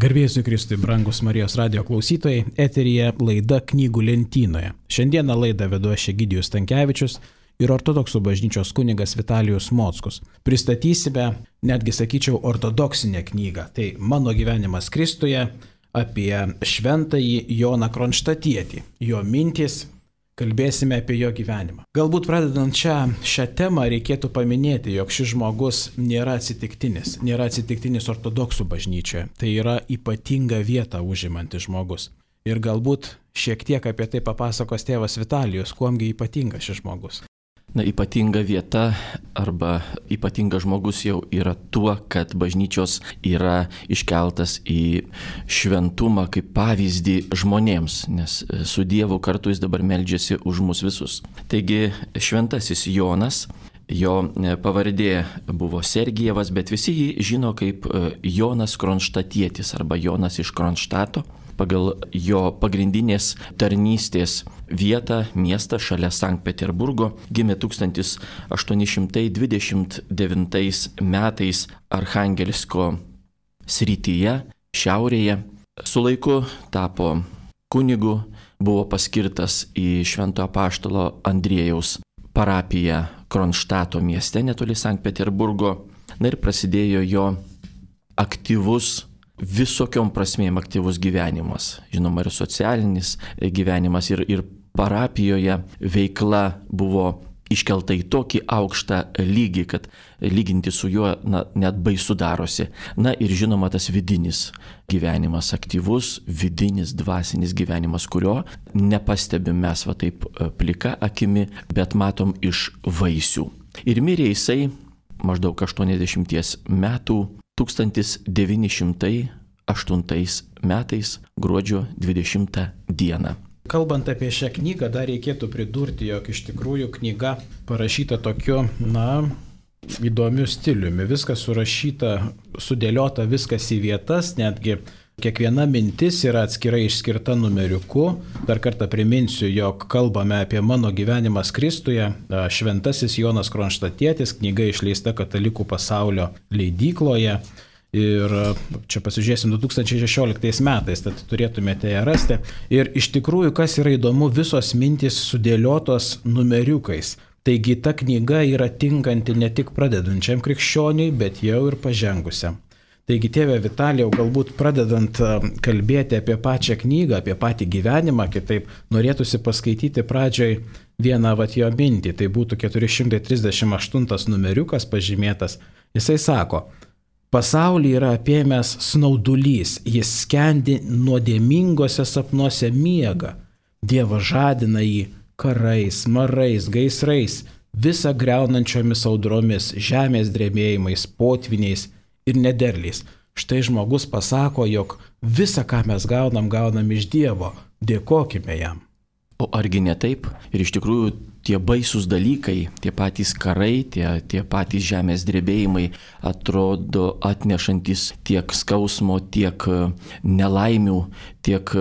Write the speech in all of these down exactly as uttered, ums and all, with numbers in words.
Garbėsiu Kristui, brangus Marijos radijo klausytojai, eteryje laida Knygų lentynoje. Šiandieną laidą vedu aš Egidijus Stankevičius ir ortodoksų bažnyčios kunigas Vitalijus Mockus. Pristatysime, netgi sakyčiau, ortodoksinę knygą. Tai Mano gyvenimas Kristuje apie šventąjį Joną Kronštatietį, jo mintys. Kalbėsime apie jo gyvenimą. Galbūt pradedant šią, šią temą reikėtų paminėti, jog šis žmogus nėra atsitiktinis, nėra atsitiktinis ortodoksų bažnyčioje. Tai yra ypatinga vieta užimantis žmogus. Ir galbūt šiek tiek apie tai papasakos tėvas Vitalijus, kuomgi ypatingas šis žmogus. Na, ypatinga vieta arba ypatingas žmogus jau yra tuo, kad bažnyčios yra iškeltas į šventumą kaip pavyzdį žmonėms, nes su Dievu kartu jis dabar meldžiasi už mus visus. Taigi šventasis Jonas, jo pavardė buvo Sergijevas, bet visi jį žino kaip Jonas Kronštatietis arba Jonas iš Kronštato. Pagal jo pagrindinės tarnystės vietą, miestą šalia Sankt Peterburgo, gimė tūkstantis aštuoni šimtai dvidešimt devintais metais Archangelsko srityje, šiaurėje. Su laiku tapo kunigu, buvo paskirtas į Švento apaštalo Andriejaus parapiją Kronštato mieste netoli Sankt Peterburgo. Na ir prasidėjo jo aktyvus visokiom prasmėm aktyvus gyvenimas, žinoma ir socialinis gyvenimas ir, ir parapijoje veikla buvo iškelta į tokį aukštą lygį, kad lyginti su juo na, net baisu darosi. Na ir žinoma tas vidinis gyvenimas, aktyvus, vidinis, dvasinis gyvenimas, kurio nepastebim mes va taip plika akimi, bet matom iš vaisių. Ir mirė jisai maždaug aštuoniasdešimties metų, tūkstantis devyni šimtai aštuntais metais gruodžio dvidešimtą dieną. Kalbant apie šią knygą, dar reikėtų pridurti, jog iš tikrųjų knyga parašyta tokiu, na, įdomiu stiliumi. Viskas surašyta, sudėliota viskas į vietas, netgi kiekviena mintis yra atskirai išskirta numeriuku. Dar kartą priminsiu, jog kalbame apie Mano gyvenimas Kristuje, šventasis Jonas Kronštatietis, knyga išleista Katalikų pasaulio leidykloje. Ir čia pasižiūrėsim du tūkstančiai šešioliktais metais, tad turėtumėte ją rasti. Ir iš tikrųjų, kas yra įdomu, visos mintys sudėliotos numeriukais. Taigi ta knyga yra tinkanti ne tik pradedančiam krikščioniui, bet jau ir pažengusiam. Taigi, tėve Vitalijau, galbūt pradedant kalbėti apie pačią knygą, apie patį gyvenimą, kitaip norėtųsi paskaityti pradžioj vieną vat jo mintį. Tai būtų keturi šimtai trisdešimt aštuntas numeriukas pažymėtas. Jisai sako: pasaulį yra apėmęs snaudulys, jis skendi nuodėmingose sapnuose miega. Dievas žadina jį karais, marais, gaisrais, visą greunančiomis audromis, žemės drebėjimais, potviniais ir nederliais. Štai žmogus pasako, jog visą, ką mes gaunam, gaunam iš Dievo. Dėkokime jam. O argi ne taip? Ir iš tikrųjų tie baisūs dalykai, tie patys karai, tie, tie patys žemės drebėjimai atrodo atnešantis tiek skausmo, tiek nelaimių, tiek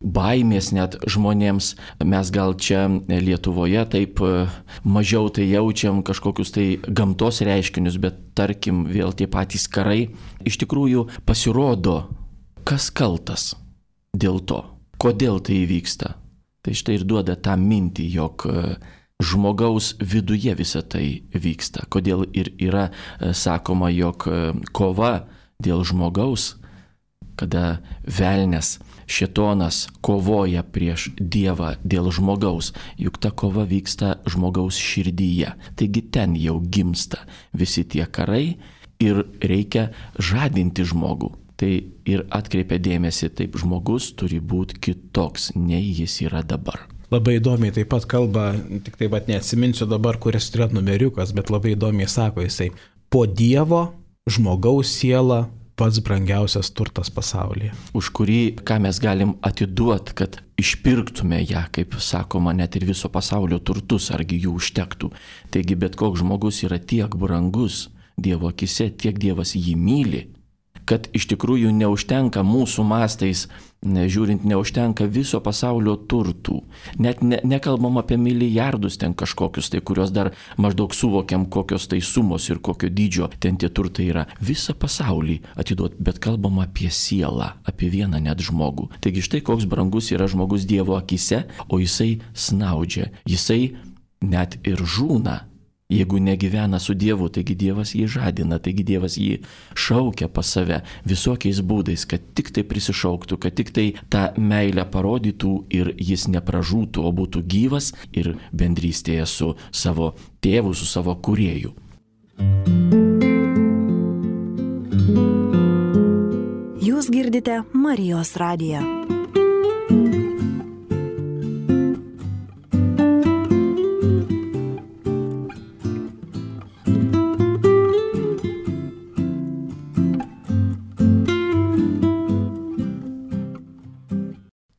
baimės net žmonėms. Mes gal čia Lietuvoje taip mažiau tai jaučiam kažkokius tai gamtos reiškinius, bet tarkim vėl tie patys karai. Iš tikrųjų pasirodo, kas kaltas dėl to, kodėl tai įvyksta. Tai štai ir duoda tą mintį, jog žmogaus viduje visa tai vyksta. Kodėl ir yra sakoma, jog kova dėl žmogaus, kada velnias, šėtonas kovoja prieš Dievą dėl žmogaus, juk ta kova vyksta žmogaus širdyje. Taigi ten jau gimsta visi tie karai ir reikia žadinti žmogų. Tai ir atkreipia dėmesį, taip žmogus turi būti kitoks, nei jis yra dabar. Labai įdomiai taip pat kalba, tik taip pat neatsiminsiu dabar, kuris yra numeriukas, bet labai įdomiai sako jisai: po Dievo žmogaus siela pats brangiausias turtas pasaulyje. Už kurį, ką mes galim atiduoti, kad išpirktume ją, kaip sakoma, net ir viso pasaulio turtus, argi jų užtektų. Taigi bet koks žmogus yra tiek brangus Dievo akise, tiek Dievas jį myli, kad iš tikrųjų neužtenka mūsų mastais, žiūrint, neužtenka viso pasaulio turtų. Net ne, nekalbam apie milijardus ten kažkokius, tai kurios dar maždaug suvokiam, kokios tai sumos ir kokio dydžio ten tie turtai yra. Visą pasaulį atiduot, bet kalbam apie sielą, apie vieną net žmogų. Taigi štai koks brangus yra žmogus Dievo akise, o jisai snaudžia, jisai net ir žūna. Jeigu negyvena su Dievu, taigi Dievas jį žadina, taigi Dievas jį šaukia pas save visokiais būdais, kad tik tai prisišauktų, kad tik tai tą meilę parodytų ir jis nepražūtų, o būtų gyvas ir bendrystėje su savo tėvu, su savo kūrėju. Jūs girdite Marijos radiją.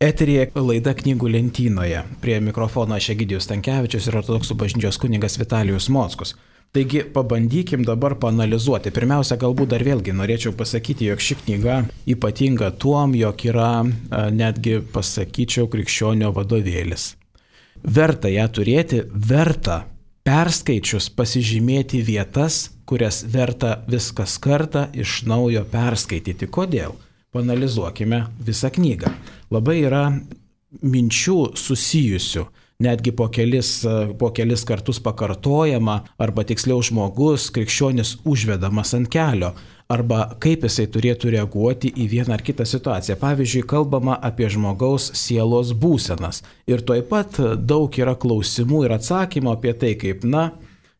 Eteryje laida Knygų lentynoje. Prie mikrofono aš Egidijus Stankevičius ir Ortodoksų bažnyčios kunigas Vitalijus Mockus. Taigi pabandykim dabar paanalizuoti. Pirmiausia, galbūt dar vėlgi norėčiau pasakyti, jog ši knyga ypatinga tuom, jog yra netgi, pasakyčiau, krikščionio vadovėlis. Verta ją turėti, verta perskaičius pasižymėti vietas, kurias verta viskas kartą iš naujo perskaityti. Kodėl? Paanalizuokime visą knygą. Labai yra minčių susijusių, netgi po kelis, po kelis kartus pakartojama, arba tiksliau žmogus, krikščionis užvedamas ant kelio, arba kaip jisai turėtų reaguoti į vieną ar kitą situaciją. Pavyzdžiui, kalbama apie žmogaus sielos būsenas. Ir tuoj pat daug yra klausimų ir atsakymų apie tai, kaip, na,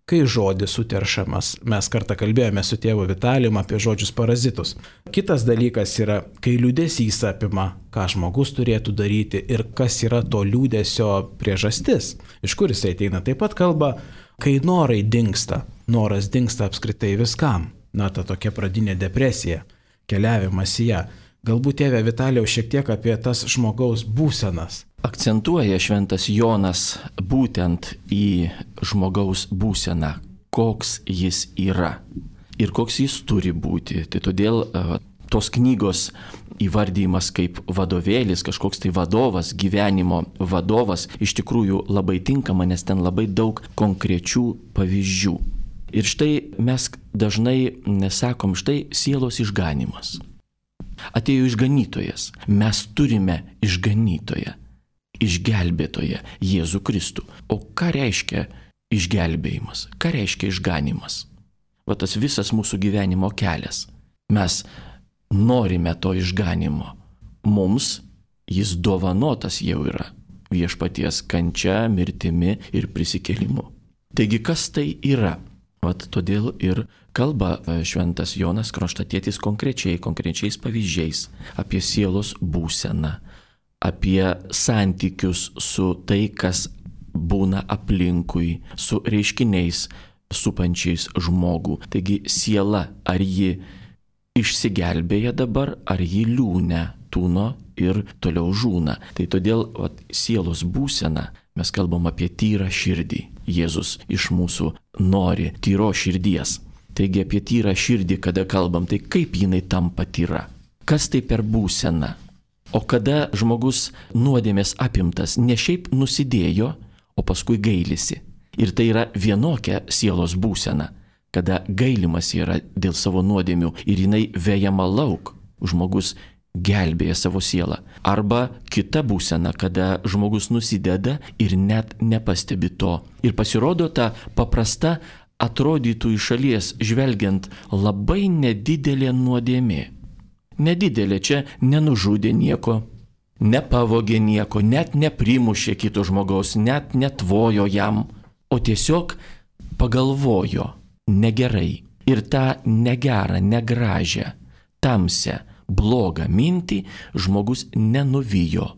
kai žodis suteršamas. Mes kartą kalbėjome su tėvu Vitalijum apie žodžius parazitus. Kitas dalykas yra, kai liūdesys apima, ką žmogus turėtų daryti ir kas yra to liūdesio priežastis, iš kur jisai ateina. Taip pat kalba, kai norai dingsta, noras dingsta apskritai viskam. Na, ta tokia pradinė depresija, keliavimas į ją. Galbūt tėve Vitalijau šiek tiek apie tas žmogaus būsenas. Akcentuoja šventas Jonas būtent į žmogaus būseną, koks jis yra ir koks jis turi būti. Tai todėl tos knygos įvardymas kaip vadovėlis, kažkoks tai vadovas, gyvenimo vadovas, iš tikrųjų labai tinkama, nes ten labai daug konkrečių pavyzdžių. Ir štai mes dažnai nesakom, štai sielos išganimas. Atėjo išganytojas, mes turime išganytoją. Išgelbėtoje Jėzų Kristų. O ką reiškia išgelbėjimas? Ką reiškia išganimas? Va tas visas mūsų gyvenimo kelias. Mes norime to išganimo. Mums jis dovanotas jau yra viešpaties kančia, mirtimi ir prisikėlimu. Taigi kas tai yra? Vat todėl ir kalba šventas Jonas Kronštatietis konkrečiai, konkrečiais pavyzdžiais apie sielos būseną, apie santykius su tai, kas būna aplinkui, su reiškiniais supančiais žmogų. Taigi siela, ar ji išsigelbėja dabar, ar ji liūne, tūno ir toliau žūna. Tai todėl vat, sielos būsena, mes kalbam apie tyrą širdį. Jėzus iš mūsų nori tyro širdies. Taigi apie tyrą širdį, kada kalbam, tai kaip jinai tampa tyra? Kas tai per būseną? O kada žmogus nuodėmės apimtas, ne šiaip nusidėjo, o paskui gailisi. Ir tai yra vienokia sielos būsena, kada gailimas yra dėl savo nuodėmių ir jinai vejama lauk, žmogus gelbėja savo sielą. Arba kita būsena, kada žmogus nusideda ir net nepastebi to. Ir pasirodo ta paprasta, atrodytų iš šalies žvelgiant labai nedidelė nuodėmė. Nedidelė, čia nenužudė nieko, nepavogė nieko, net neprimušė kito žmogaus, net netvojo jam, o tiesiog pagalvojo negerai. Ir tą negerą, negražią, tamsią, blogą mintį žmogus nenuvijo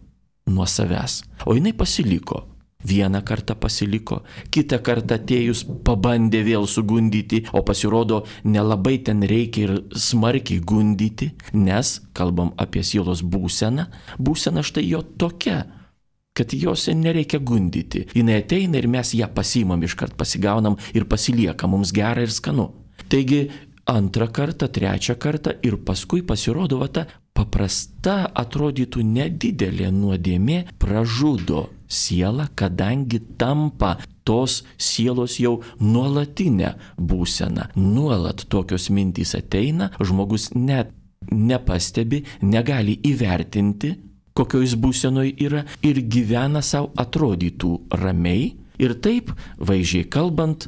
nuo savęs, o jinai pasiliko. Vieną kartą pasiliko, kitą kartą atėjus pabandė vėl sugundyti, o pasirodo nelabai ten reikia ir smarkiai gundyti, nes kalbam apie sielos būseną, būsena štai jo tokia, kad jos nereikia gundyti. Jinai ateina ir mes ją pasiimam iškart, pasigaunam ir pasilieka, mums gera ir skanu. Taigi antrą kartą, trečią kartą ir paskui pasirodo, va ta paprasta atrodytų nedidelė nuodėmė pražudo sielą, kadangi tampa tos sielos jau nuolatinę būseną. Nuolat tokios mintys ateina, žmogus net nepastebi, negali įvertinti, kokioj jis būsenoj yra ir gyvena savo atrodytų ramiai. Ir taip, vaizdžiai kalbant,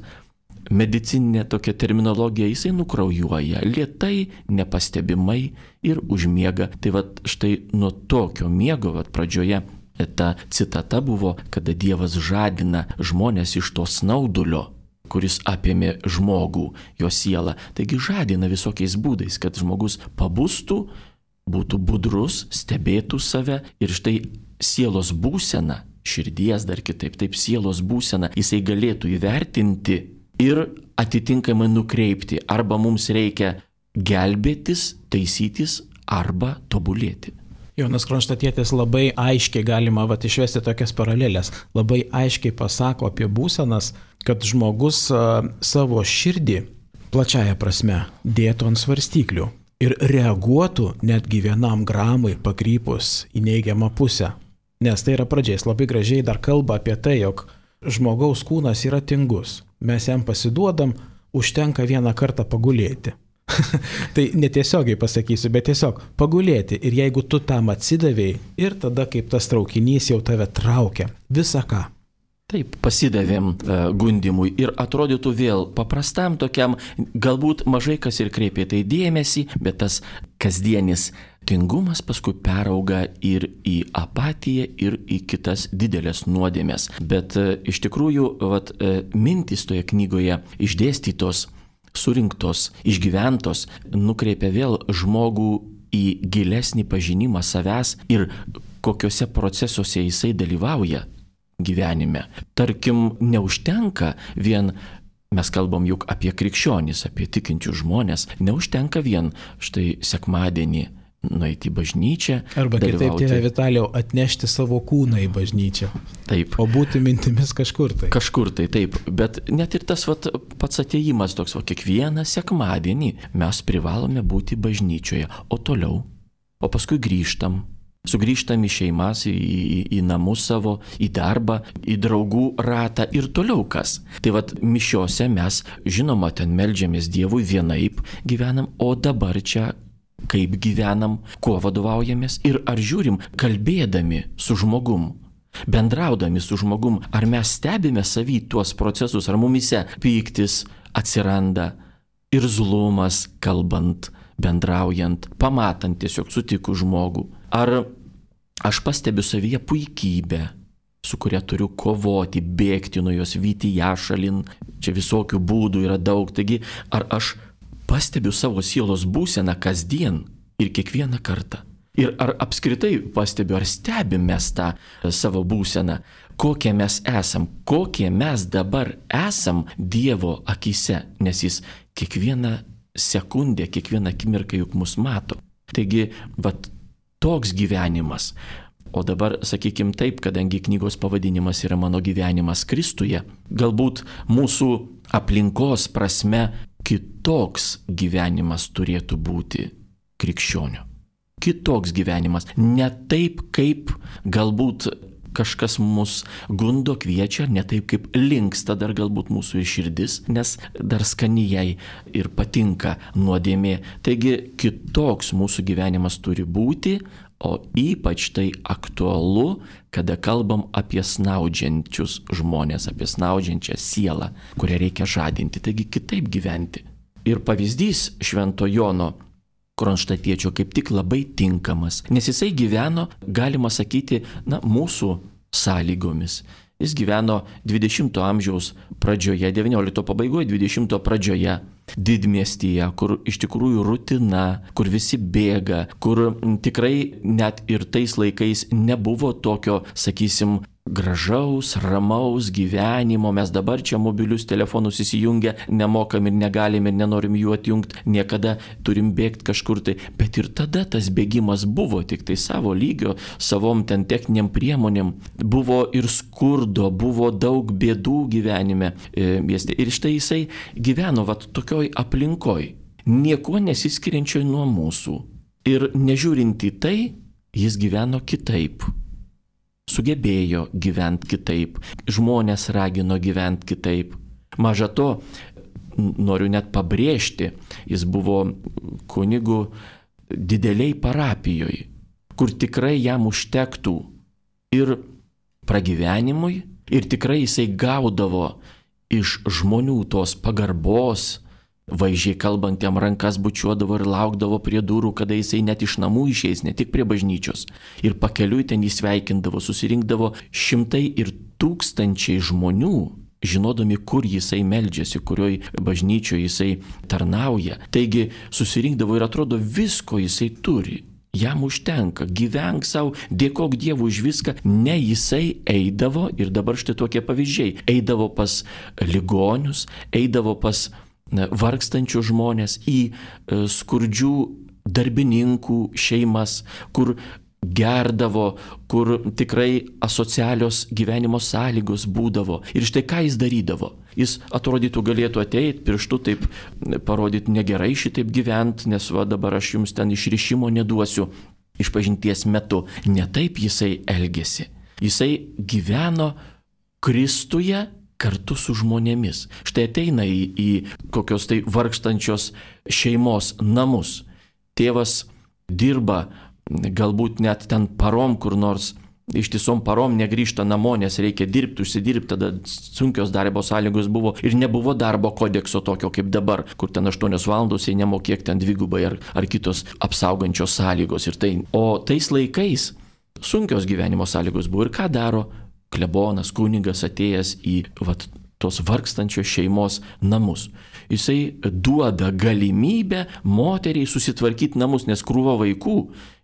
medicininė tokia terminologija, jisai nukraujuoja lėtai, nepastebimai ir užmiega. Tai vat štai nuo tokio miego, vat pradžioje ta citata buvo, kada Dievas žadina žmonės iš to snaudulio, kuris apėmė žmogų, jo sielą. Taigi žadina visokiais būdais, kad žmogus pabustų, būtų budrus, stebėtų save ir štai sielos būseną, širdies dar kitaip, taip sielos būseną, jisai galėtų įvertinti ir atitinkamai nukreipti. Arba mums reikia gelbėtis, taisytis, arba tobulėti. Jonas Kronštatietis labai aiškiai galima vat, išvesti tokias paralelės. Labai aiškiai pasako apie būsenas, kad žmogus a, savo širdį plačiaja prasme dėtų ant svarstyklių ir reaguotų netgi vienam gramui pakrypus į neigiamą pusę. Nes tai yra pradžiais labai gražiai dar kalba apie tai, jog žmogaus kūnas yra tingus. Mes jam pasiduodam, užtenka vieną kartą pagulėti. Tai netiesiogiai pasakysiu, bet tiesiog pagulėti. Ir jeigu tu tam atsidavėjai, ir tada kaip tas traukinys jau tave traukia. Visa ką. Taip, pasidavėm uh, gundimui ir atrodytų vėl paprastam tokiam, galbūt mažai kas ir kreipė tai dėmesį, bet tas kasdienis tingumas paskui perauga ir į apatiją, ir į kitas didelės nuodėmės. Bet uh, iš tikrųjų, vat, uh, mintys toje knygoje išdėstytos, surinktos, išgyventos, nukreipia vėl žmogų į gilesnį pažinimą savęs ir kokiuose procesuose jisai dalyvauja gyvenime. Tarkim, neužtenka vien, mes kalbam juk apie krikščionis, apie tikinčius žmonės, neužtenka vien štai sekmadienį nueiti į bažnyčią. Arba kitaip, tėve Vitalijau, atnešti savo kūną į bažnyčią. Taip. O būti mintimis kažkur tai. Kažkur tai, taip. Bet net ir tas vat, pats atėjimas toks, va, kiekvieną sekmadienį mes privalome būti bažnyčioje. O toliau, o paskui grįžtam. Sugrįžtam į šeimas, į, į, į namus savo, į darbą, į draugų ratą ir toliau kas. Tai vat mišiose mes, žinoma, ten meldžiamės Dievui vienaip gyvenam, o dabar čia kaip gyvenam, kuo vadovaujamės ir ar žiūrim, kalbėdami su žmogum, bendraudami su žmogum, ar mes stebime savy tuos procesus, ar mumise pyktis atsiranda, irzlumas kalbant, bendraujant, pamatant tiesiog sutikus žmogų. Ar aš pastebiu savyje puikybę, su kuria turiu kovoti, bėgti nuo jos, vyti ją šalin, čia visokių būdų yra daug, taigi ar aš pastebiu savo sielos būseną kasdien ir kiekvieną kartą. Ir ar apskritai pastebiu, ar stebim mes tą savo būseną, kokie mes esam, kokie mes dabar esam Dievo akyse, nes jis kiekvieną sekundę, kiekvieną akimirką juk mus mato. Taigi, vat toks gyvenimas. O dabar, sakykim taip, kadangi knygos pavadinimas yra Mano gyvenimas Kristuje, galbūt mūsų aplinkos prasme kitoks gyvenimas turėtų būti krikščionio. Kitoks gyvenimas. Ne taip, kaip galbūt kažkas mus gundo, kviečia, ne taip, kaip linksta dar galbūt mūsų ir širdis, nes dar skanijai ir patinka nuodėmė. Taigi kitoks mūsų gyvenimas turi būti, o ypač tai aktualu, kada kalbam apie snaudžiančius žmonės, apie snaudžiančią sielą, kurią reikia žadinti, taigi kitaip gyventi. Ir pavyzdys Švento Jono Kronštatiečio kaip tik labai tinkamas, nes jisai gyveno, galima sakyti, na, mūsų sąlygomis. Jis gyveno dvidešimto amžiaus pradžioje, devyniolikto pabaigoje, dvidešimto pradžioje, didmiestyje, kur iš tikrųjų rutina, kur visi bėga, kur tikrai net ir tais laikais nebuvo tokio, sakysim, gražaus, ramaus gyvenimo. Mes dabar čia mobilius telefonus įsijungę, nemokam ir negalim ir nenorim jų atjungti, niekada turim bėgti kažkur tai. Bet ir tada tas bėgimas buvo tik tai savo lygio, savom ten techniniam priemonėm. Buvo ir skurdo, buvo daug bėdų gyvenime. Ir štai jisai gyveno vat tokioj aplinkoj. niekuo nesiskiriančioj nuo mūsų. Ir nežiūrint į tai, jis gyveno kitaip. Sugebėjo gyventi kitaip. Žmonės ragino gyventi kitaip. Maža to, noriu net pabrėžti, jis buvo kunigu dideliai parapijoje, kur tikrai jam užtektų ir pragyvenimui, ir tikrai jisai gaudavo iš žmonių tos pagarbos, vaizdžiai kalbant, jam rankas bučiuodavo ir laukdavo prie durų, kada jisai net iš namų išeis, ne tik prie bažnyčios. Ir pakeliui ten jį sveikindavo, susirinkdavo šimtai ir tūkstančiai žmonių, žinodami, kur jisai meldžiasi, kurioj bažnyčioje jisai tarnauja. Taigi susirinkdavo ir atrodo, visko jisai turi. Jam užtenka, gyvenk savo, dėkok Dievui už viską. Ne, jisai eidavo, ir dabar štai tokie pavyzdžiai, eidavo pas ligonius, eidavo pas vargstančių žmonės, į skurdžių darbininkų šeimas, kur gerdavo, kur tikrai asocialios gyvenimo sąlygos būdavo. Ir štai ką jis darydavo. Jis atrodytų galėtų ateiti pirštu taip parodyti negerai šitaip gyventi, nes va dabar aš jums ten išrišimo neduosiu išpažinties metu. Ne taip jisai elgėsi. Jisai gyveno Kristuje kartu su žmonėmis. Štai ateina į, į kokios tai vargstančios šeimos namus. Tėvas dirba galbūt net ten parom kur nors, ištisom parom negrįžta namo, nes reikia dirbti, užsidirbti, tada sunkios darbo sąlygos buvo ir nebuvo darbo kodekso tokio kaip dabar, kur ten aštuonios valandos, jei nemokėk ten dvigubai ar, ar kitos apsaugančios sąlygos. Ir tai, o tais laikais sunkios gyvenimo sąlygos buvo. Ir ką daro klebonas, kunigas atėjęs į vat, tos vargstančios šeimos namus? Jisai duoda galimybę moteriai susitvarkyti namus, nes krūva vaikų,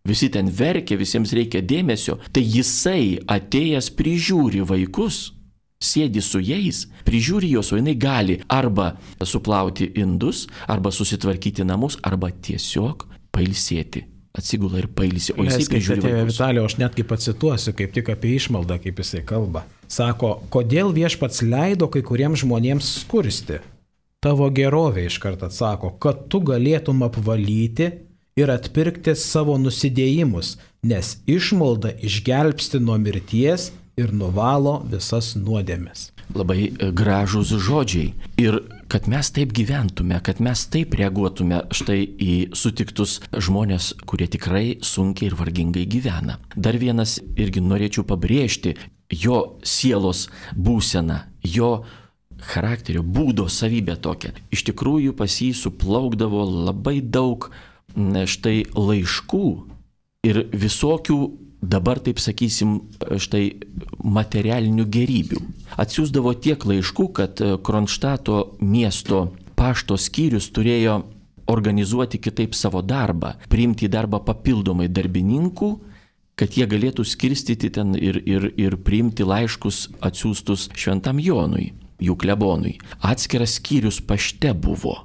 visi ten verkia, visiems reikia dėmesio. Tai jisai atėjęs prižiūri vaikus, sėdi su jais, prižiūri juos, o jinai gali arba suplauti indus, arba susitvarkyti namus, arba tiesiog pailsėti. Atsigula ir pailsi, o jisai prižiūri vaikus. Vitalijau, aš netgi pacituosiu, kaip tik apie išmaldą, kaip jisai kalba. Sako, kodėl viešpats leido kai kuriems žmonėms skursti? Tavo gerovė, iš karto atsako, kad tu galėtum apvalyti ir atpirkti savo nusidėjimus, nes išmalda išgelbsti nuo mirties ir nuvalo visas nuodėmes. Labai gražūs žodžiai. Ir kad mes taip gyventume, kad mes taip reaguotume štai į sutiktus žmonės, kurie tikrai sunkiai ir vargingai gyvena. Dar vienas irgi norėčiau pabrėžti jo sielos būseną, jo charakterio, būdo savybę tokią. Iš tikrųjų pas jį suplaukdavo labai daug štai laiškų ir visokių, dabar taip sakysim, štai materialinių gerybių. Atsiųsdavo tiek laiškų, kad Kronštato miesto pašto skyrius turėjo organizuoti kitaip savo darbą, priimti į darbą papildomai darbininkų, kad jie galėtų skirstyti ten ir, ir, ir priimti laiškus atsiųstus Šventam Jonui, jų klebonui. Atskiras skyrius pašte buvo,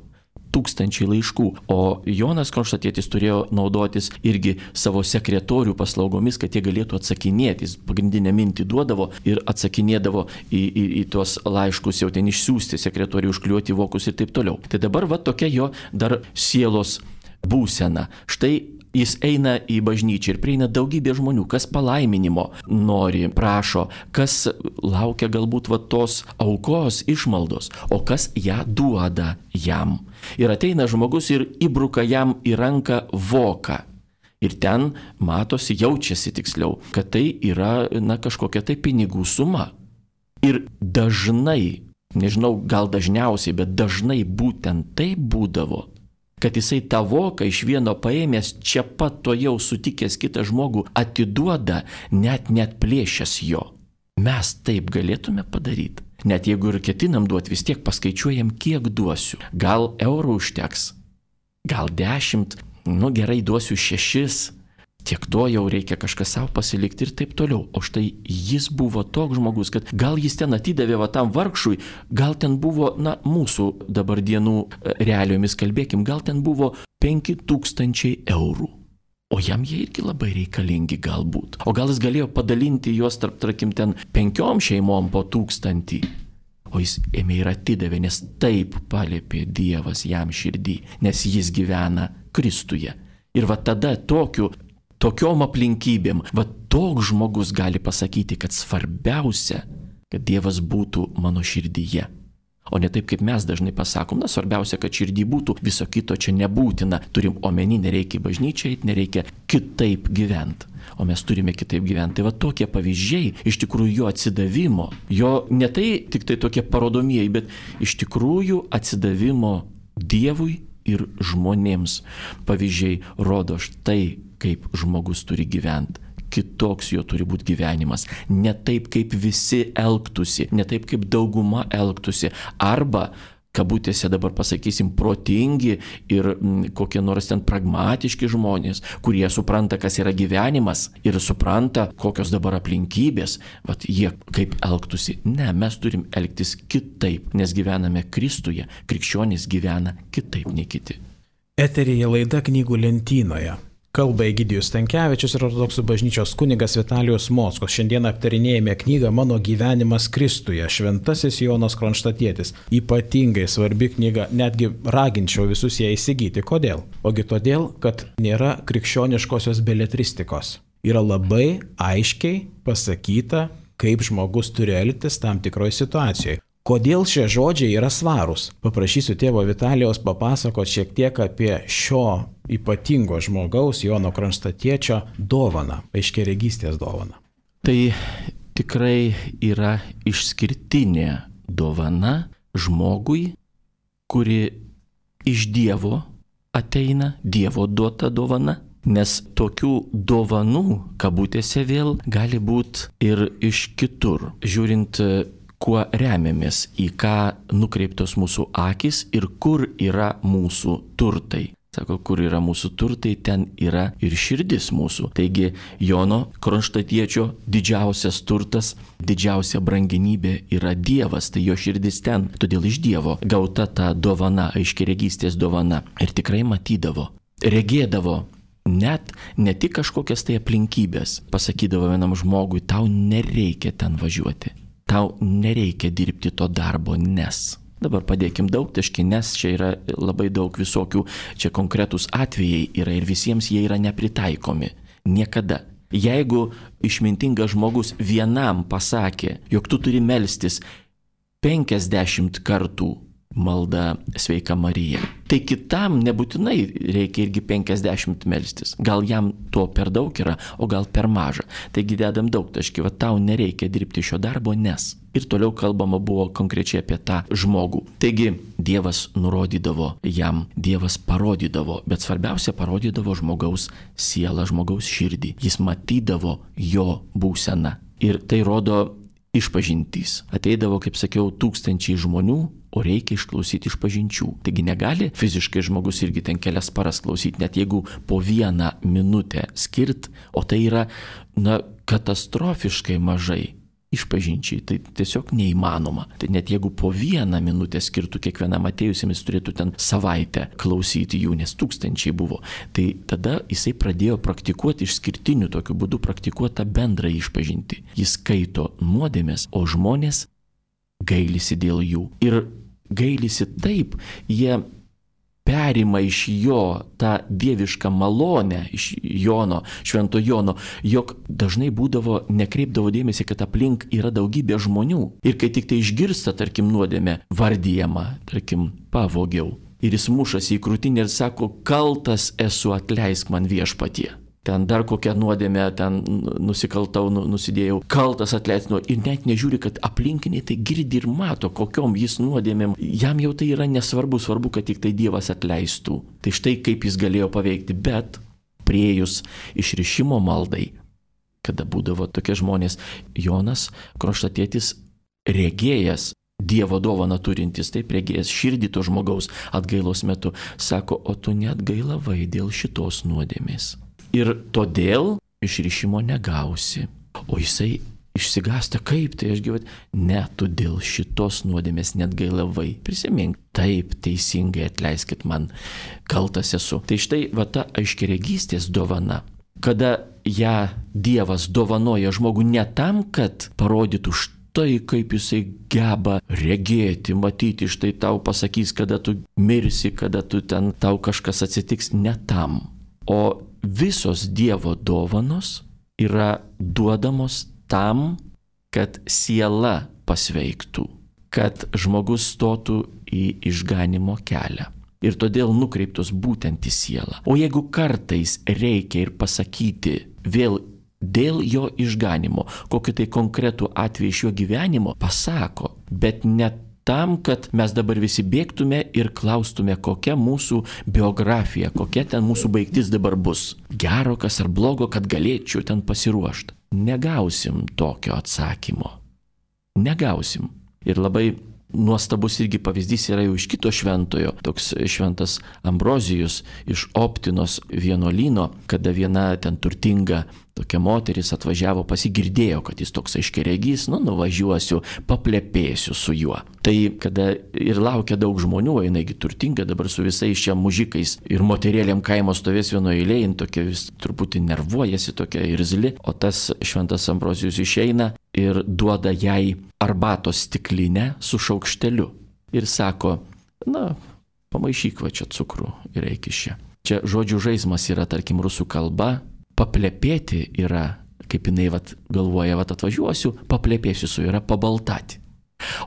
tūkstančiai laiškų, o Jonas Kronštatietis turėjo naudotis irgi savo sekretorių paslaugomis, kad jie galėtų atsakinėti. Jis pagrindinę mintį duodavo ir atsakinėdavo į, į, į tuos laiškus, jau ten išsiųsti sekretorių, užkliuoti vokus ir taip toliau. Tai dabar va tokia jo dar sielos būsena. Štai jis eina į bažnyčią ir prieina daugybė žmonių, kas palaiminimo nori, prašo, kas laukia galbūt va tos aukos išmaldos, o kas ją duoda jam. Ir ateina žmogus ir įbruka jam į ranką voką. Ir ten matosi, jaučiasi tiksliau, kad tai yra na, kažkokia tai pinigų suma. Ir dažnai, nežinau, gal dažniausiai, bet dažnai būtent tai būdavo, kad jisai tą voką iš vieno paėmęs, čia pat to jau sutikęs kitą žmogų, atiduoda, net net plėšęs jo. Mes taip galėtume padaryti. Net jeigu ir ketinam duoti, vis tiek paskaičiuojam, kiek duosiu. Gal eurų užteks, gal dešimt, nu gerai duosiu šešis, tiek to jau reikia kažką savo pasilikti ir taip toliau. O štai jis buvo toks žmogus, kad gal jis ten atidavė va tam vargšui, gal ten buvo, na, mūsų dabar dienų realiomis kalbėkim, gal ten buvo penki tūkstančiai eurų. O jam jie irgi labai reikalingi galbūt. O gal jis galėjo padalinti juos tarp, tarkim, ten penkiom šeimom po tūkstantį. o jis ėmė ir atidavė, nes taip paliepė Dievas jam širdį, nes jis gyvena Kristuje. Ir va tada tokiu, tokiom aplinkybėm, va toks žmogus gali pasakyti, kad svarbiausia, kad Dievas būtų mano širdyje. O ne taip, kaip mes dažnai pasakom, na, svarbiausia, kad širdį būtų, viso kito čia nebūtina. Turim omeny, nereikia bažnyčiai, nereikia kitaip gyventi. O mes turime kitaip gyventi. Tai va tokie pavyzdžiai, iš tikrųjų jo atsidavimo, jo ne tai tik tai tokie parodomieji, bet iš tikrųjų atsidavimo Dievui ir žmonėms. Pavyzdžiai rodo štai, kaip žmogus turi gyventi. Kitoks jo turi būti gyvenimas. Ne taip, kaip visi elgtųsi, ne taip, kaip dauguma elgtųsi. Arba, kabutėse dabar pasakysim, protingi ir m, kokie nors ten pragmatiški žmonės, kurie supranta, kas yra gyvenimas ir supranta, kokios dabar aplinkybės, vat jie kaip elgtųsi. Ne, mes turim elgtis kitaip, nes gyvename Kristuje, krikščionys gyvena kitaip nei kiti. Eteryje laida Knygų lentynoje. Kalba Egidijus Stankevičius ir ortodoksų bažnyčios kunigas Vitalijus Mockos. Šiandien aptarinėjame knygą Mano gyvenimas Kristuje, Šventasis Jonas Kronštatietis. Ypatingai svarbi knyga, netgi raginčiau visus ją įsigyti. Kodėl? Ogi todėl, kad nėra krikščioniškosios beletristikos. Yra labai aiškiai pasakyta, kaip žmogus turi elgtis tam tikroje situacijoje. Kodėl šie žodžiai yra svarūs? Paprašysiu tėvo Vitalijaus papasakoti šiek tiek apie šio ypatingo žmogaus, Jono Kronštatiečio dovaną, aiškiaregystės dovaną. Tai tikrai yra išskirtinė dovana žmogui, kuri iš Dievo ateina, Dievo duota dovana. Nes tokių dovanų, kabutėse vėl, gali būti ir iš kitur, žiūrint, kuo remiamės, į ką nukreiptos mūsų akis ir kur yra mūsų turtai. Sako, kur yra mūsų turtai, ten yra ir širdis mūsų. Taigi Jono Kronštatiečio didžiausias turtas, didžiausia brangenybė yra Dievas, tai jo širdis ten. Todėl iš Dievo gauta ta dovana, aiškiaregystės dovana. Ir tikrai matydavo, regėdavo net ne tik kažkokias tai aplinkybės. Pasakydavo vienam žmogui, tau nereikia ten važiuoti. Tau nereikia dirbti to darbo, nes. Dabar padėkim daug taškį, nes čia yra labai daug visokių, čia konkretūs atvejai yra ir visiems jie yra nepritaikomi. Niekada. Jeigu išmintingas žmogus vienam pasakė, jog tu turi melstis penkiasdešimt kartų malda Sveika Marija, tai kitam nebūtinai reikia irgi penkiasdešimt melstis. Gal jam to per daug yra, o gal per maža. Taigi dedam daug taškį, va tau nereikia dirbti šio darbo, nes. Ir toliau kalbama buvo konkrečiai apie tą žmogų. Taigi Dievas nurodydavo jam, Dievas parodydavo, bet svarbiausia parodydavo žmogaus sielą, žmogaus širdį. Jis matydavo jo būseną. Ir tai rodo išpažintys. Ateidavo, kaip sakiau, tūkstančiai žmonių, o reikia išklausyti išpažinčių. Taigi negali fiziškai žmogus irgi ten kelias paras klausyti, net jeigu po vieną minutę skirt, o tai yra, na, katastrofiškai mažai išpažinčiai. Tai tiesiog neįmanoma. Tai net jeigu po vieną minutę skirtų kiekvienam atėjusiems, jis turėtų ten savaitę klausyti jų, nes tūkstančiai buvo. Tai tada jisai pradėjo praktikuoti išskirtiniu tokiu būdu, praktikuoti tą bendrą išpažintį. Jis skaito nuodėmes, o žmonės gailisi dėl jų. Ir gailisi taip, jie perima iš jo tą dievišką malonę, iš Jono, švento Jono, jog dažnai būdavo, nekreipdavo dėmesį, kad aplink yra daugybė žmonių. Ir kai tik tai išgirsta, tarkim, nuodėmę vardijama, tarkim, pavogiau, ir jis mušasi į krūtinę ir sako, kaltas esu, atleisk man Viešpatie. Ten dar kokią nuodėmę, ten nusikaltau, nusidėjau, kaltas atleisk nuo. Ir net nežiūri, kad aplinkiniai tai girdi ir mato, kokiom jis nuodėmėm. Jam jau tai yra nesvarbu, svarbu, kad tik tai Dievas atleistų. Tai štai kaip jis galėjo paveikti, bet priejus išrišimo maldai, kada būdavo tokie žmonės, Jonas Kronštatietis regėjęs, Dievo dovaną turintis, taip regėjęs širdį to žmogaus atgailos metu, sako, o tu net gailavai dėl šitos nuodėmės. Ir todėl išrišimo negausi. O jisai išsigąsta, kaip tai aš gyvat? Ne, tu dėl šitos nuodėmės net gailavai. Prisimink, taip, teisingai atleiskit man, kaltas esu. Tai štai va ta aiškiaregystės dovana, kada ją Dievas dovanoja žmogų ne tam, kad parodytų štai kaip jisai geba regėti, matyti, štai tau pasakys, kada tu mirsi, kada tu ten tau kažkas atsitiks, ne tam. O visos Dievo dovanos yra duodamos tam, kad siela pasveiktų, kad žmogus stotų į išganimo kelią. Ir todėl nukreiptos būtent į sielą. O jeigu kartais reikia ir pasakyti vėl dėl jo išganimo, kokį tai konkretų atvejį iš jo gyvenimo, pasako, bet ne tam, kad mes dabar visi bėgtume ir klaustume, kokia mūsų biografija, kokia ten mūsų baigtis dabar bus. Gero kas ar blogo, kad galėčiau ten pasiruošti. Negausim tokio atsakymo. Negausim. Ir labai nuostabus irgi pavyzdys yra jau iš kito šventojo, toks šventas Ambrozijus iš Optinos vienuolyno, kada viena ten turtinga tokia moteris atvažiavo, pasigirdėjo, kad jis toks aiškiaregys, nu nuvažiuosiu, paplepėsiu su juo. Tai kada ir laukia daug žmonių, jinai turtinga dabar su visais čia mužikais ir moterėlėm kaimo stovės vienoje eilėje, tokia vis truputį nervuojasi, tokia irzli, o tas šventas Ambrozijus išeina ir duoda jai arbatos stiklinę su šaukšteliu. Ir sako, na, pamaišyk va čia cukrų ir eik iš čia. Čia žodžių žaismas yra, tarkim, rusų kalba, paplepėti yra, kaip jinai vat, galvoja, vat atvažiuosiu, paplepėsiu su yra pabaltati.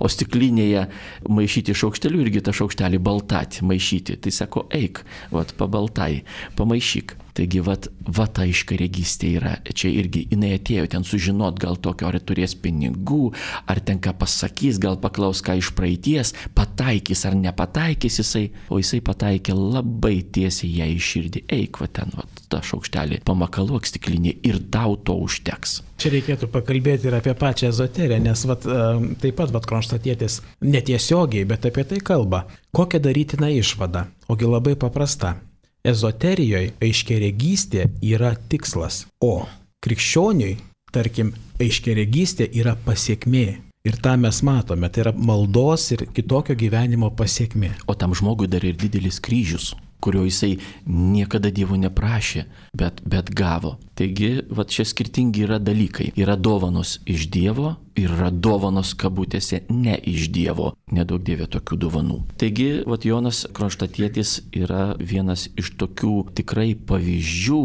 O stiklinėje maišyti šaukšteliu irgi tą šaukštelį baltati, maišyti. Tai sako, eik, vat pabaltai, pamaišyk. Taigi, vat, vat ta iškaregystė yra. Čia irgi jinai atėjo ten sužinot, gal tokio, ar turės pinigų, ar ten ką pasakys, gal paklaus ką iš praeities, pataikys ar nepataikys jisai. O jisai pataikė labai tiesiai ją į širdį. Eik, vat ten, vat tą šaukštelį, pamakaluok stiklinį ir tau to užteks. Čia reikėtų pakalbėti ir apie pačią ezoteriją, nes vat, taip pat vat, Kronštatietis netiesiogiai, bet apie tai kalba. Kokią darytina išvada? Ogi labai paprasta. Ezoterijoje aiškiaregystė yra tikslas, o krikščioniui, tarkim, aiškiaregystė yra pasiekmė. Ir tą mes matome, tai yra maldos ir kitokio gyvenimo pasiekmė. O tam žmogui dar ir didelis kryžius, kurio jisai niekada Dievo neprašė, bet, bet gavo. Taigi, va čia skirtingi yra dalykai. Yra dovanos iš Dievo ir yra dovanos kabutėse ne iš Dievo. Nedaug Dieve tokių dovanų. Taigi, va Jonas Kronštatietis yra vienas iš tokių tikrai pavyzdžių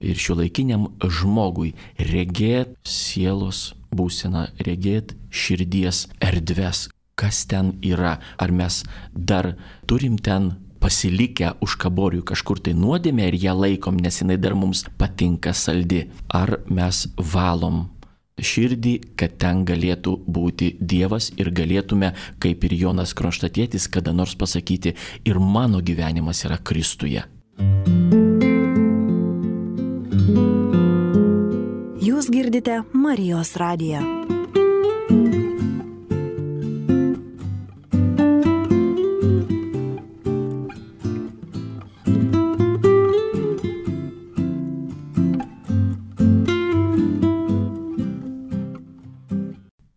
ir šiuolaikiniam žmogui regėt sielos būseną, regėt širdies erdves, kas ten yra. Ar mes dar turim ten pasilikę už kaborių kažkur tai nuodėmę ir ją laikom, nes jinai dar mums patinka saldi. Ar mes valom širdį, kad ten galėtų būti Dievas ir galėtume, kaip ir Jonas Kronštatietis, kada nors pasakyti, ir mano gyvenimas yra Kristuje. Jūs girdite Marijos radiją.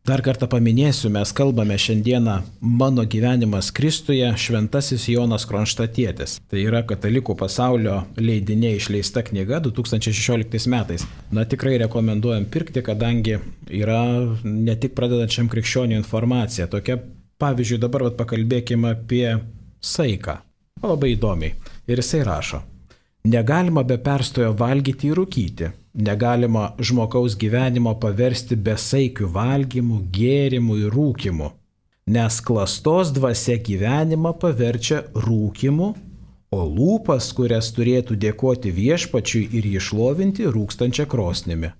Dar kartą paminėsiu, mes kalbame šiandieną Mano gyvenimas Kristuje, šventasis Jonas Kronštatietis. Tai yra Katalikų pasaulio leidinė išleista knyga du tūkstančiai šešioliktais metais. Na tikrai rekomenduojam pirkti, kadangi yra ne tik pradedančiam krikščionių informacija. Tokia, pavyzdžiui, dabar vat, pakalbėkime apie saiką. Labai įdomiai. Ir jisai rašo. Negalima be perstojo valgyti ir rūkyti. Negalima žmogaus gyvenimo paversti besaikių valgymų, gėrimų ir rūkimų, nes klastos dvasia gyvenimą paverčia rūkimu, o lūpas, kurias turėtų dėkoti viešpačiui ir jį šlovinti, rūkstančia krosnimi.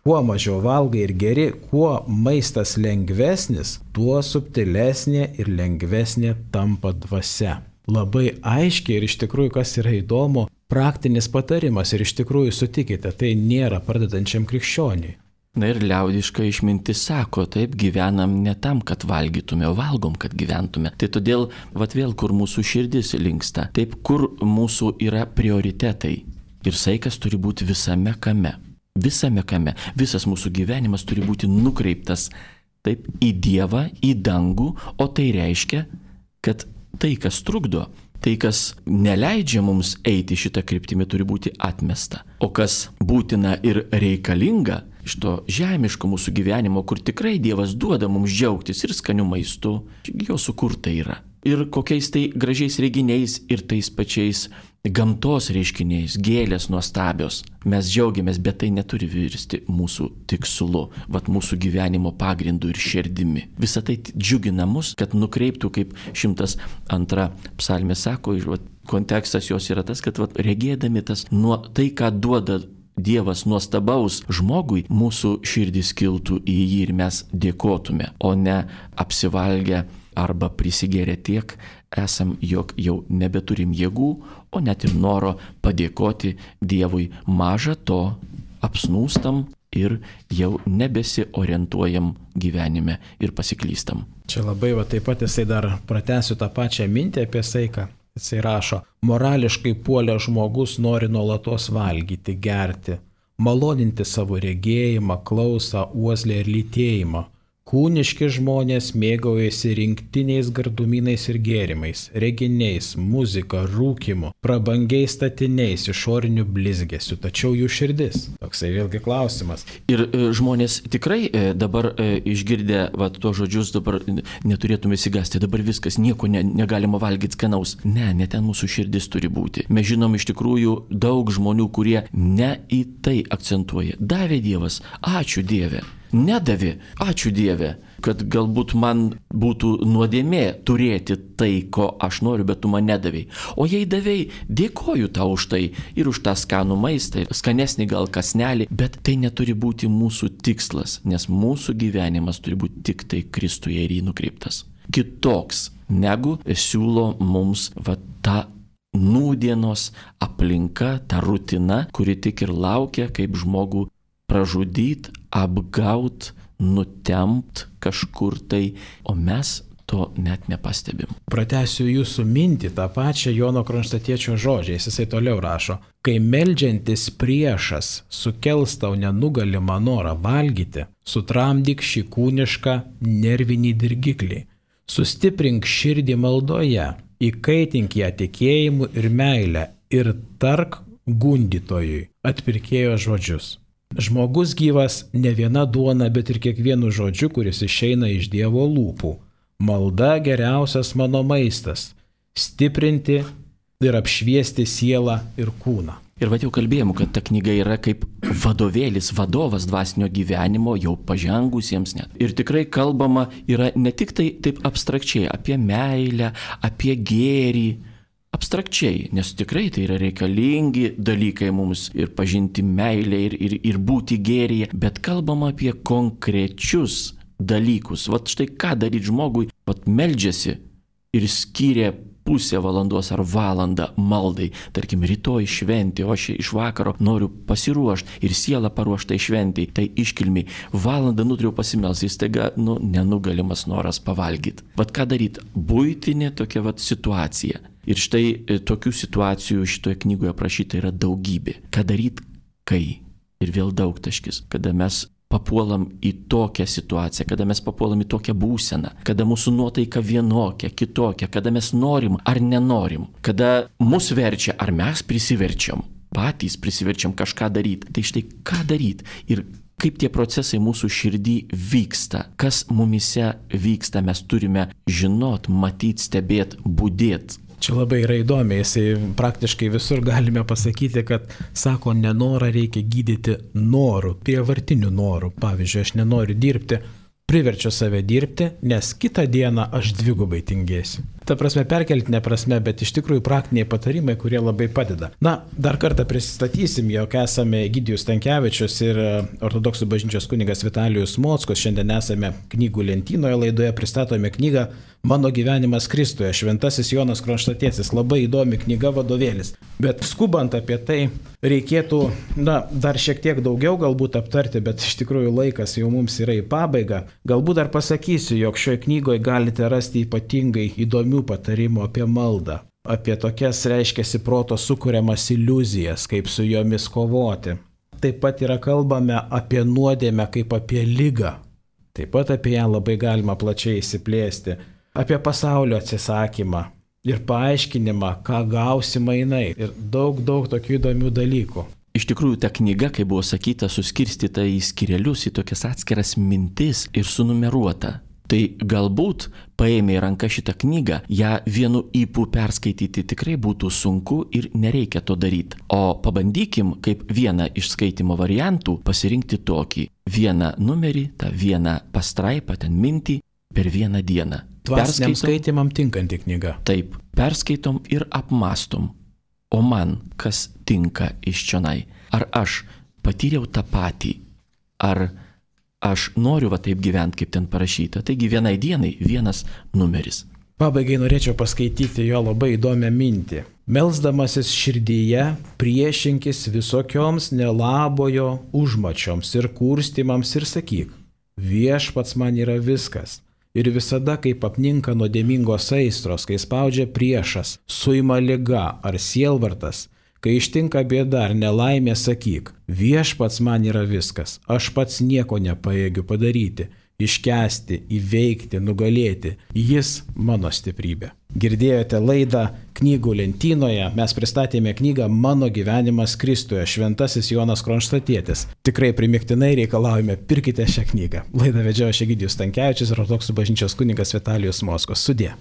Kuo mažiau valgai ir geri, kuo maistas lengvesnis, tuo subtilesnė ir lengvesnė tampa dvasia. Labai aiškiai ir iš tikrųjų, kas yra įdomu, praktinis patarimas ir iš tikrųjų sutikite, tai nėra pradedančiam krikščioniui. Na ir liaudiška išmintis sako, taip gyvenam ne tam, kad valgytume, o valgom, kad gyventume. Tai todėl, vat vėl, kur mūsų širdis linksta, taip, kur mūsų yra prioritetai. Ir saikas turi būti visame kame. Visame kame. Visas mūsų gyvenimas turi būti nukreiptas taip į Dievą, į dangų, o tai reiškia, kad tai, kas trukdo, tai, kas neleidžia mums eiti šitą kryptimį, turi būti atmesta. O kas būtina ir reikalinga iš to žemiško mūsų gyvenimo, kur tikrai Dievas duoda mums džiaugtis ir skaniu maistu, jo sukurta yra. Ir kokiais tai gražiais reginiais ir tais pačiais gamtos reiškiniais, gėlės nuostabios. Mes džiaugiamės, bet tai neturi virsti mūsų tikslu, vat mūsų gyvenimo pagrindu ir širdimi. Visą tai džiugina mus, kad nukreiptų, kaip šimtas antra psalmė sako, vat, kontekstas jos yra tas, kad vat, regėdami tas nuo tai, ką duoda Dievas nuostabaus žmogui, mūsų širdis kiltų į jį ir mes dėkotume, o ne apsivalgę arba prisigėrę tiek esam, jog jau nebeturim jėgų, o net ir noro padėkoti Dievui. Maža to, apsnūstam ir jau nebesiorientuojam gyvenime ir pasiklystam. Čia labai va taip pat jisai dar pratęsiu tą pačią mintį apie saiką. Jisai rašo, morališkai puolę žmogus nori nuolatos valgyti, gerti, maloninti savo regėjimą, klausą, uoslę ir lytėjimą. Kūniški žmonės mėgaujasi rinktiniais gardumynais ir gėrimais, reginiais, muzika, rūkimu, prabangiais statiniais, išoriniu blizgesiu, tačiau jų širdis. Toksai vėlgi klausimas. Ir e, žmonės tikrai e, dabar e, išgirdę va, to žodžius, dabar neturėtume įsigasti, dabar viskas, nieko ne, negalima valgyti skanaus. Ne, ne ten mūsų širdis turi būti. Mes žinom iš tikrųjų daug žmonių, kurie ne į tai akcentuoja. Davė Dievas, ačiū Dieve. Nedavė, ačiū Dieve, kad galbūt man būtų nuodėmė turėti tai, ko aš noriu, bet tu man nedavėjai. O jei davėjai, dėkoju tau už tai ir už tą skanų maistą, skanesnį gal kasnelį, bet tai neturi būti mūsų tikslas, nes mūsų gyvenimas turi būti tik tai Kristuje ir jį nukreiptas. Kitoks, negu siūlo mums va, ta nūdienos aplinka, ta rutina, kuri tik ir laukia, kaip žmogų pražudyt, apgaut, nutempt kažkur tai, o mes to net nepastebim. Pratęsiu jūsų mintį tą pačią Jono Kronštatiečio žodžiais, jisai toliau rašo, kai meldžiantis priešas sukels tau nenugalimą norą valgyti, sutramdyk šį kūnišką nervinį dirgiklį, sustiprink širdį maldoje, įkaitink ją tikėjimu ir meilę ir tark gundytojui atpirkėjo žodžius. Žmogus gyvas ne viena duona, bet ir kiekvienu žodžiu, kuris išeina iš Dievo lūpų. Malda geriausias mano maistas – stiprinti ir apšviesti sielą ir kūną. Ir va jau kalbėjom, kad ta knyga yra kaip vadovėlis, vadovas dvasinio gyvenimo jau pažengusiems net. Ir tikrai kalbama yra ne tik tai taip abstrakčiai apie meilę, apie gėrį, abstrakčiai, nes tikrai tai yra reikalingi dalykai mums ir pažinti meilę ir, ir, ir būti gėryje, bet kalbama apie konkrečius dalykus. Vat štai ką daryti žmogui, vat meldžiasi ir skyrė pusę valandos ar valandą maldai. Tarkim, rytoj šventė, o aš iš vakaro noriu pasiruošti ir sielą paruoštai šventėj, tai iškilmiai. Valandą nutriau pasimelsti, staiga, nu, nenugalimas noras pavalgyti. Vat ką daryti? Buitinė tokia vat situacija. Ir štai tokių situacijų šitoje knygoje aprašyta yra daugybė. Ką daryti, kai? Ir vėl daugtaškis, kada mes papuolam į tokią situaciją, kada mes papuolam į tokią būseną, kada mūsų nuotaika vienokia, kitokia, kada mes norim ar nenorim, kada mus verčia ar mes prisiverčiam, patys prisiverčiam kažką daryti. Tai štai ką daryti ir kaip tie procesai mūsų širdį vyksta, kas mumise vyksta, mes turime žinot, matyt, stebėt, budėt. Čia labai yra įdomi, jisai praktiškai visur galime pasakyti, kad sako, nenorą reikia gydyti norų, prievartinių norų. Pavyzdžiui, aš nenoriu dirbti, priverčiu save dirbti, nes kitą dieną aš dvigubai tingėsiu. Ta prasme, perkeltinė prasme, bet iš tikrųjų praktiniai patarimai, kurie labai padeda. Na, dar kartą prisistatysim, jog esame Egidijus Stankevičius ir ortodoksų bažnyčios kunigas Vitalijus Mockus. Šiandien esame knygų lentynoje laidoje, pristatome knygą Mano gyvenimas Kristuje, Šventasis Jonas Kronštatietis. Labai įdomi knyga, vadovėlis. Bet skubant apie tai, reikėtų, na, dar šiek tiek daugiau galbūt aptarti, bet iš tikrųjų laikas jau mums yra į pabaigą. Galbūt dar pasakysiu, jog šioje knygoje galite rasti ypatingai įdomių patarimų apie maldą, apie tokias, reiškiasi, proto sukuriamas iliuzijas, kaip su jomis kovoti. Taip pat yra kalbame apie nuodėmę kaip apie ligą. Taip pat apie ją labai galima plačiai įsiplėsti. Apie pasaulio atsisakymą, ir paaiškinimą, ką gausi mainai. Ir daug, daug tokių įdomių dalykų. Iš tikrųjų, ta knyga, kaip buvo sakyta, suskirstyta į skyrelius, į tokias atskiras mintis ir sunumeruota. Tai galbūt paėmė į ranką šitą knygą, ją vienu ypu perskaityti tikrai būtų sunku ir nereikia to daryti. O pabandykim kaip vieną iš skaitimo variantų pasirinkti tokį. Vieną numerį, tą vieną pastraipą, ten mintį per vieną dieną. Dvasiniam skaitimam tinkanti knyga. Taip, perskaitom ir apmastom. O man kas tinka iš čionai? Ar aš patyriau tą patį? Ar aš noriu va taip gyventi, kaip ten parašyta? Taigi vienai dienai vienas numeris. Pabaigai norėčiau paskaityti jo labai įdomią mintį. Melsdamasis širdyje priešinkis visokioms nelabojo užmačioms ir kurstymams ir sakyk, viešpats man yra viskas. Ir visada, kaip apninka nuodėmingos aistros, kai spaudžia priešas, suima liga ar sielvartas, kai ištinka bėda ar nelaimė, sakyk, viešpats man yra viskas, aš pats nieko nepajėgiu padaryti, iškęsti, įveikti, nugalėti, jis mano stiprybė. Girdėjote laidą Knygų lentynoje, mes pristatėme knygą Mano gyvenimas Kristuje, šventasis Jonas Kronštatietis. Tikrai primiktinai reikalaujame, pirkite šią knygą. Laidą vedžiojo Egidijus Stankevičius ir Ortodoksų bažnyčios kunigas Vitalijus Mockus. Sudie.